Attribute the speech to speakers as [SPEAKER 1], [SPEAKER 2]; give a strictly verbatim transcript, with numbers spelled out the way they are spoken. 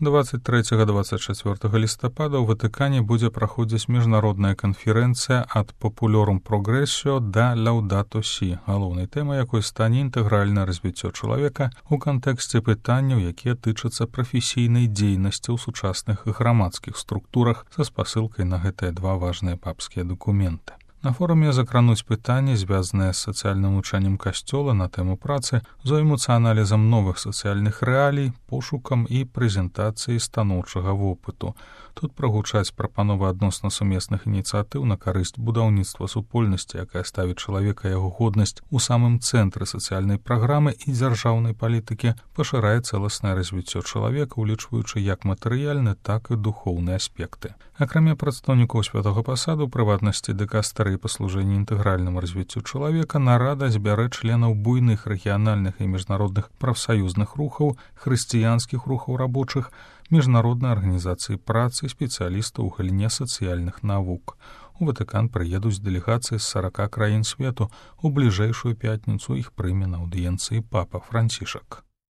[SPEAKER 1] двадцать трэцяга - двадцать чацвёртага лістапада ў Ватыкане будзе праходзіць міжнародная канферэнцыя ад Populorum Progressio да Laudato Si, галоўнай тэмай якой стане інтэгральнае развіццё чалавека ў кантэксце пытанняў, якія тычацца прафесійнай дзейнасці ў сучасных грамадскіх структурах са спасылкай на гэтыя два важныя папскія дакументы. На форуме закрануць пытанні, звязаныя з сацыяльным вучэннем касцёла на тэму працы, зоймуцца аналізам новых сацыяльных рэалій, пошукам і прэзентацыяй станоўчага вопыту. Тут прагучаць прапановы адносна сумесных ініцыятыў на карысць будаўніцтва супольнасці, якая ставіць чалавека яго годнасць у самым цэнтры сацыяльнай праграмы і дзяржаўнай палітыкі, пашырае цэласнае развіццё чалавека, улічваючы як матэрыяльны, так і духоўныя аспекты. Акрамя прадстаўнікоў святога пасаду, прыватнасці дэкастары і паслужэння інтэгральнаму развіццю чалавека, нарада збярэ членаў буйных рэгіянальных і міжнародных прафсаюзных рухаў, хрысціянскіх рухаў рабочых, міжнароднай арганізацыі працы, спецыялістаў у галіне сацыяльных навук. У Ватыкан прыедуць дэлегацыі з сарака краін свету. У бліжэйшую пятніцу іх прыме на аўдыенцыі папа Францішак.